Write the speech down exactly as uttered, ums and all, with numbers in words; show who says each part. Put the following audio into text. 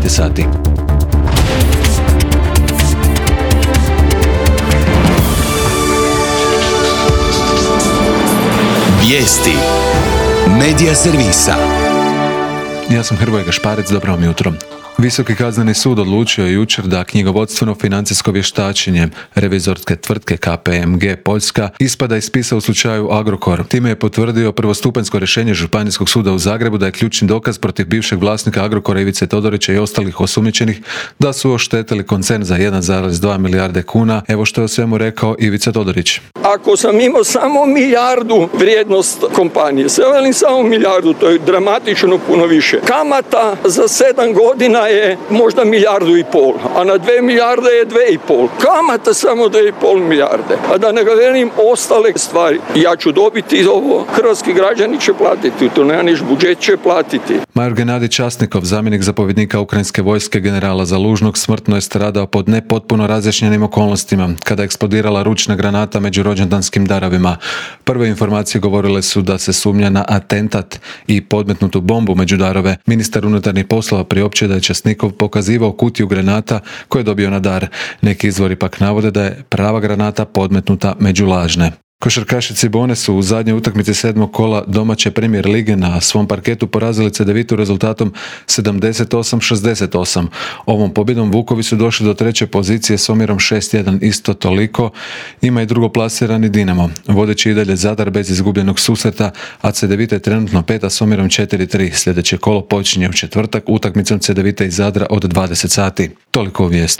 Speaker 1: devetnaest sati.
Speaker 2: Vijesti Medija servisa.
Speaker 1: Ja sam Hrvoje Gašparec, dobro vam jutro. Visoki kazneni sud odlučio je jučer da knjigovodstveno financijsko vještačenje revizorske tvrtke K P M G Poljska ispada iz spisa u slučaju Agrokor. Time je potvrdio prvostupanjsko rješenje Županijskog suda u Zagrebu da je ključni dokaz protiv bivšeg vlasnika Agrokora Ivice Todorića i ostalih osumnjičenih da su oštetili koncern za jedan zarez dva milijarde kuna. Evo što je o svemu rekao Ivica Todorić.
Speaker 3: Ako sam imao samo milijardu vrijednost kompanije, sve velim samo milijardu, to je dramatično puno više. Kamata za sedam godina je možda milijardu i pol, a na dve milijarde je dve i pol. Kamata samo dve i pol milijarde. A da ne govorim ostale stvari. Ja ću dobiti ovo, hrvatski građani će platiti, to nema niš, budžet će platiti.
Speaker 1: Major Genadij Časnikov, zamjenik zapovjednika ukrajinske vojske generala Zalužnog, smrtno je stradao pod nepotpuno razjašnjenim okolnostima kada je eksplodirala ručna granata među rođendanskim darovima. Prve informacije govorile su da se sumnja na atentat i podmetnutu bombu među darove. Ministar unutarnjih poslova priopćio da je Časnikov pokazivao kutiju granata koje je dobio na dar. Neki izvori pak navode da je prava granata podmetnuta među lažne. Košarkaši Cibone su u zadnjoj utakmici sedmog kola domaće Premier lige na svom parketu porazili Cedevitu rezultatom sedamdeset osam šezdeset osam. Ovom pobjedom Vukovi su došli do treće pozicije s omjerom šest jedan, isto toliko ima i drugoplasirani Dinamo. Vodeći i dalje Zadar bez izgubljenog susreta, a Cedevita je trenutno peta s omjerom četiri tri. Sljedeće kolo počinje u četvrtak utakmicom Cedevite i Zadra od dvadeset sati. Toliko u vijesti.